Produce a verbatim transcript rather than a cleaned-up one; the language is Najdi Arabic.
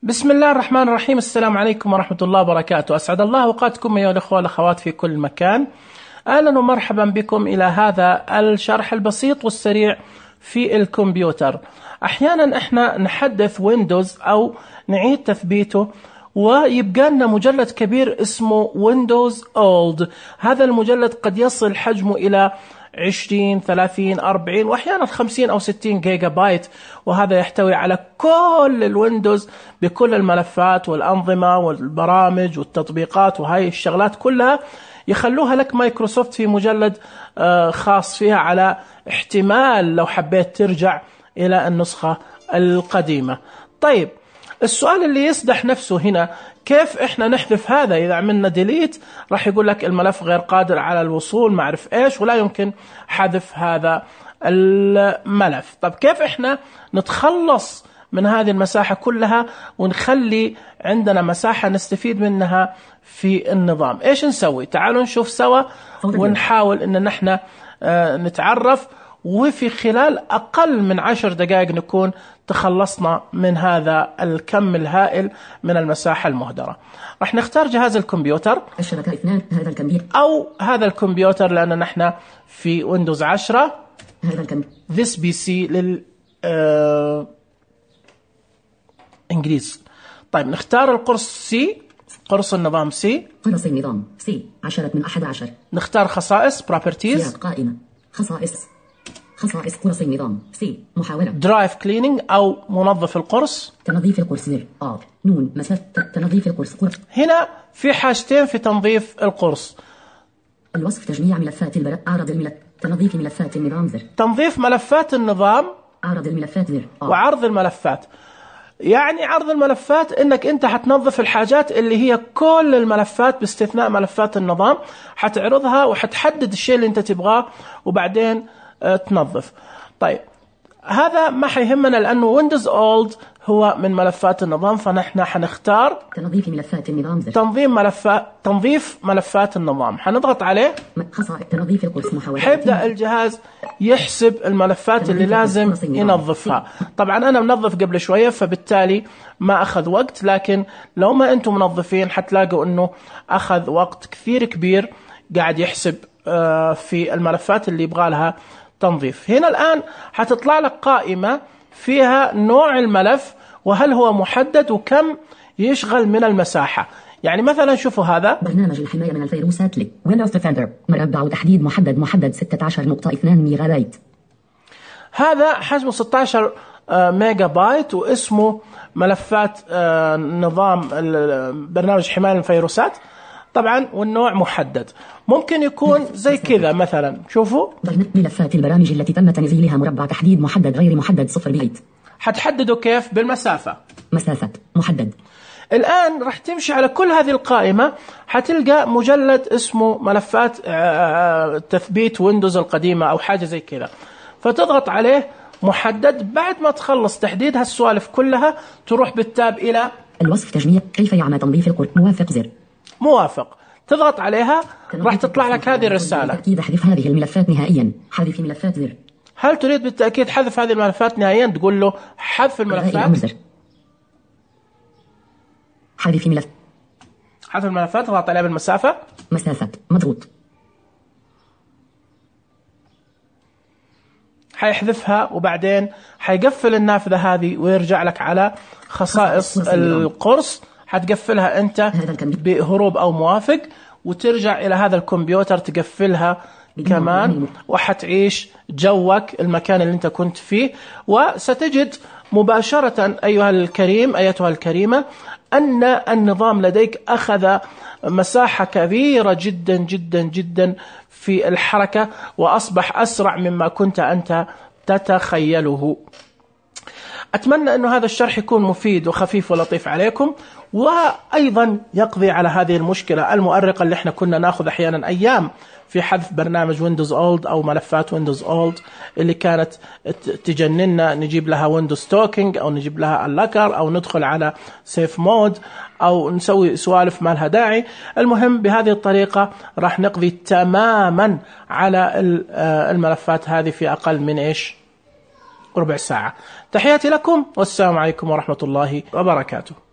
بسم الله الرحمن الرحيم. السلام عليكم ورحمة الله وبركاته. أسعد الله أوقاتكم أيها الأخوة والأخوات في كل مكان. أهلا ومرحبا بكم إلى هذا الشرح البسيط والسريع في الكمبيوتر. أحيانا إحنا نحدث ويندوز أو نعيد تثبيته ويبقى لنا مجلد كبير اسمه ويندوز أولد. هذا المجلد قد يصل حجمه إلى عشرين ثلاثين أربعين وأحيانا خمسين أو ستين جيجا بايت، وهذا يحتوي على كل الويندوز بكل الملفات والأنظمة والبرامج والتطبيقات، وهاي الشغلات كلها يخلوها لك مايكروسوفت في مجلد خاص فيها، على احتمال لو حبيت ترجع إلى النسخة القديمة. طيب، السؤال اللي يسدح نفسه هنا، كيف احنا نحذف هذا؟ اذا عملنا ديليت راح يقول لك الملف غير قادر على الوصول ما اعرف ايش، ولا يمكن حذف هذا الملف. طب كيف احنا نتخلص من هذه المساحة كلها ونخلي عندنا مساحة نستفيد منها في النظام؟ ايش نسوي؟ تعالوا نشوف سوا ونحاول ان نحن نتعرف، وفي خلال أقل من عشر دقائق نكون تخلصنا من هذا الكم الهائل من المساحة المهدرة. راح نختار جهاز الكمبيوتر، الشبكة اثنان، هذا الكمبيوتر أو هذا الكمبيوتر لأن نحن في ويندوز عشرة. هذا الكمبيوتر This بي سي لل آه... إنجليز. طيب نختار القرص سي، قرص النظام سي، قرص النظام سي عشرة من أحد عشر. نختار خصائص properties، سياق قائمة خصائص خصائص قرص النظام سي محاولة درايف كليننج أو منظف القرص، تنظيف القرص زر آر نون مسافة تنظيف القرص قرص. هنا في حاجتين في تنظيف القرص: الوصف، تجميع ملفات البرق، أعرض الملف، تنظيف ملفات النظام زر، تنظيف ملفات النظام، أعرض الملفات زر آر. وعرض الملفات. يعني عرض الملفات انك انت حتنظف الحاجات اللي هي كل الملفات باستثناء ملفات النظام، حتعرضها وحتحدد الشيء اللي انت تبغاه وبعدين تنظف. طيب هذا ما حيهمنا لأنه ويندوز أولد هو من ملفات النظام، فنحن حنختار تنظيف ملفات النظام زر. تنظيم ملفات تنظيف ملفات النظام، حنضغط عليه، خصائص تنظيف القرص محاولة. حيبدأ الجهاز يحسب الملفات اللي لازم ينظفها. طبعا أنا منظف قبل شوية فبالتالي ما أخذ وقت، لكن لو ما أنتم منظفين حتلاقوا أنه أخذ وقت كثير كبير قاعد يحسب في الملفات اللي يبغى لها تنظيف. هنا الآن حتطلع لك قائمة فيها نوع الملف وهل هو محدد وكم يشغل من المساحة. يعني مثلا شوفوا هذا برنامج الحماية من الفيروسات لي ويندوز ديفندر، مربع تحديد محدد محدد ستة عشر نقطة اثنين ميجا بايت. هذا حجمه ستة عشر ميجا بايت واسمه ملفات نظام برنامج حماية من الفيروسات طبعا، والنوع محدد. ممكن يكون زي كذا مثلا، شوفوا ملفات البرامج التي تم تنزيلها مربع تحديد محدد غير محدد صفر بايت. حتحدده كيف؟ بالمسافة، مسافة محدد. الآن راح تمشي على كل هذه القائمة، حتلقى مجلد اسمه ملفات تثبيت ويندوز القديمة أو حاجة زي كذا، فتضغط عليه محدد. بعد ما تخلص تحديد هالسوالف كلها تروح بالتاب إلى الوصف، تجميع كيف يعمل تنظيف القرص، موافق زر، موافق، تضغط عليها راح تطلع لك هذه الرسالة: بالتأكيد احذف هذه الملفات نهائيا، حذف ملفات زر. هل تريد بالتأكيد حذف هذه الملفات نهائيا؟ تقول له حذف الملفات، حذف ملف حذف الملفات، تضغط عليها بالمسافة، مسافة مضغوط، حيحذفها وبعدين حيقفل النافذة هذه ويرجع لك على خصائص القرص. حتقفلها أنت بهروب أو موافق وترجع إلى هذا الكمبيوتر تقفلها كمان، وحتعيش جوك المكان اللي أنت كنت فيه. وستجد مباشرة أيها الكريم أيتها الكريمة أن النظام لديك أخذ مساحة كبيرة جدا جدا جدا في الحركة، وأصبح أسرع مما كنت أنت تتخيله. أتمنى أن هذا الشرح يكون مفيد وخفيف ولطيف عليكم، وأيضا يقضي على هذه المشكلة المؤرقة اللي احنا كنا ناخذ أحيانا أيام في حذف برنامج ويندوز أولد أو ملفات ويندوز أولد اللي كانت تجننا، نجيب لها ويندوز توكينج أو نجيب لها اللكر أو ندخل على سيف مود أو نسوي سوالف ما لها داعي. المهم بهذه الطريقة راح نقضي تماما على الملفات هذه في أقل من إيش ربع ساعة. تحياتي لكم والسلام عليكم ورحمة الله وبركاته.